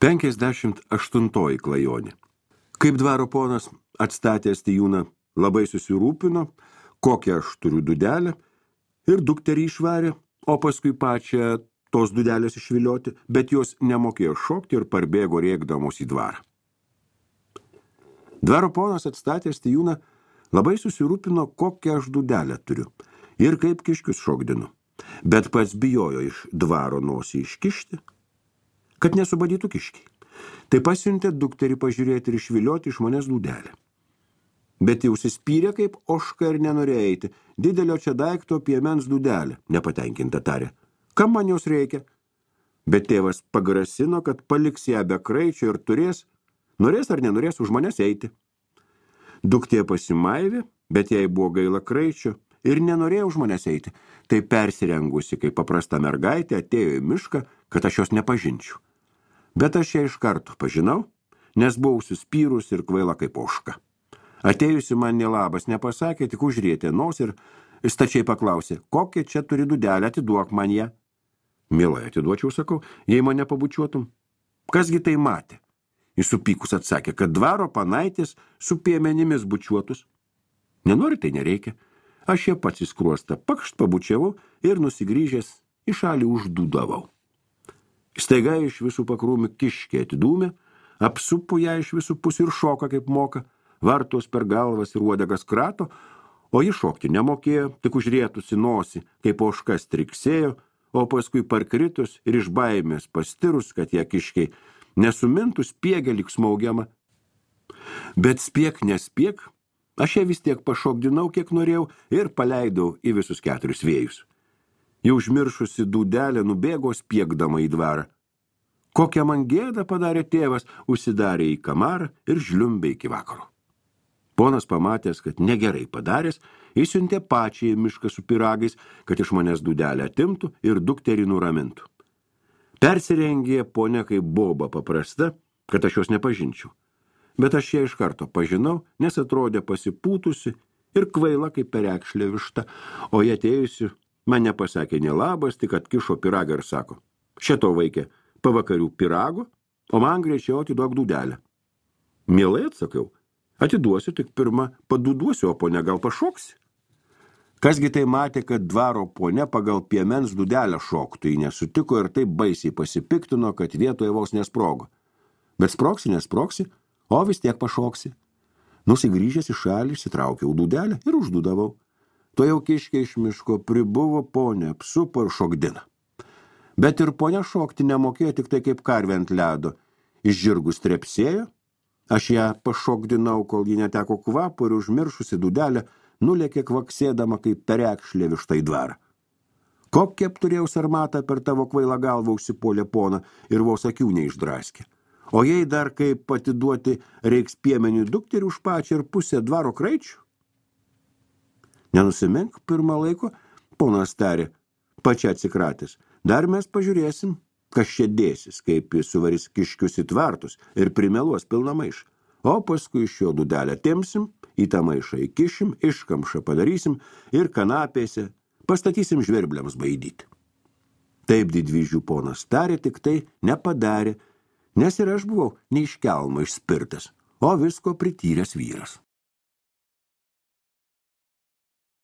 58 klajonė. Kaip dvaro ponas atstatęs tijūną labai susirūpino, kokią aš turiu dudelę, ir dukterį išvarė, o paskui pačią tos dudelės išvilioti, bet jos nemokėjo šokti ir parbėgo rėkdamos į dvarą. Dvaro ponas atstatęs tijūną labai susirūpino, kokią aš dudelę turiu ir kaip kiškius šokdinu, bet pats bijojo iš dvaro nosį iškišti, kad nesubadytų kiškiai. Tai pasiuntė dukterį pažiūrėti ir išvilioti iš manęs dudelę. Bet jau užsispyrė kaip ožka ir nenorėjo eiti. Didelio čia daikto piemens dudelė, nepatenkinta tarė. Kam man jos reikia? Bet tėvas pagrasino, kad paliks ją be kraičio ir norės ar nenorės už manęs eiti. Duktė pasimaivė, bet jai buvo gaila kraičio ir nenorėjo už manęs eiti. Tai persirengusi, kaip paprasta mergaitė, atėjo į mišką, kad aš jos nepažinčiau. Bet aš ją iš karto pažinau, nes buvau suspyrus ir kvaila kaip ožka. Atėjusi man nelabas nepasakė, tik užrietė nosį ir stačiai paklausė, kokią čia turi dudelę, atiduok man ją. Mielai atiduočiau, sakau, jei mane pabučiuotum. Kasgi tai matė? Jis supykus atsakė, kad dvaro panaitės su piemenimis bučiuotus. Nenori, tai nereikia. Aš ją pats į skruostą pakšt pabučiavau ir nusigrįžęs į šalį uždūdavau. Staiga iš visų pakrūmių kiškė atidūmė, apsupo ją iš visų pusių ir šoka kaip moka, vartos per galvas ir uodegas krato, o ji šokti nemokėjo, tik užrietusi nosį, kaip ožka striksėjo, o paskui parkritus ir iš baimės pastirus, kad ją kiškiai nesumintų spiegė lyg smaugiama. Bet spiek nespiek, aš ją vis tiek pašokdinau, kiek norėjau, ir paleidau į visus 4 vėjus. Jau užmiršusi dudelę nubėgo spiegdama į dvarą. Kokią man gėdą padarė tėvas, užsidarė į kamarą ir žliumbė iki vakaro. Ponas pamatęs, kad negerai padaręs, įsiuntė pačiai į mišką su pyragais, kad iš manęs dudelę atimtų ir dukterį nuramintų. Persirengė ponia kaip boba paprasta, kad aš jos nepažinčiau. Bet aš ją iš karto pažinau, nes atrodė pasipūtusi ir kvaila kaip perekšlė višta, o jie atėjusi man nepasakė nelabas, tik atkišo pyragą ir sako, šito vaikė pavakarių pyrago, o man greičiau atiduok dudelę. Mielai atsakiau, atiduosiu, tik pirmą paduduosiu, o ponia gal pašoksi. Kasgi tai matė, kad dvaro ponia pagal piemens dudelę šoktų, ji nesutiko ir taip baisiai pasipiktino, kad vietoje vos nesprogo. Bet nesproksi, o vis tiek pašoksi. Nusigrįžęs į šalį, išsitraukiau dudelę ir uždudavau. To jau kiškė iš miško pribuvo ponia, apsupo ir šokdina. Bet ir ponia šokti nemokėjo, tik tai kaip karvė ant ledo. Iš žirgų strepsėjo, aš ją pašokdinau, kol ji neteko kvapo ir užmiršusi dudelę, nulėkė kvaksėdama kaip perekšlė višta į dvarą. Kokia apturėjau sarmatą per tavo kvailą galvą užsipolė pona ir vos akių neišdraskė. O jei dar kaip atiduoti reiks piemeniui dukterį už pačią ir pusę dvaro kraičių? Nenusimink pirmą laiko, ponas tarė, pačia atsikratęs. Dar mes pažiūrėsim, kas čia dėsis, kaip jis suvarys kiškius į tvartus ir primeluos pilną maišą. O paskui iš jo dudelę timsim, į tą maišą įkišim, iškamšą padarysim ir kanapėse pastatysim žvirbliams baidyti. Taip didvyžių ponas tarė, tik tai nepadarė, nes ir aš buvau ne iš kelmo išspirtas, o visko prityręs vyras.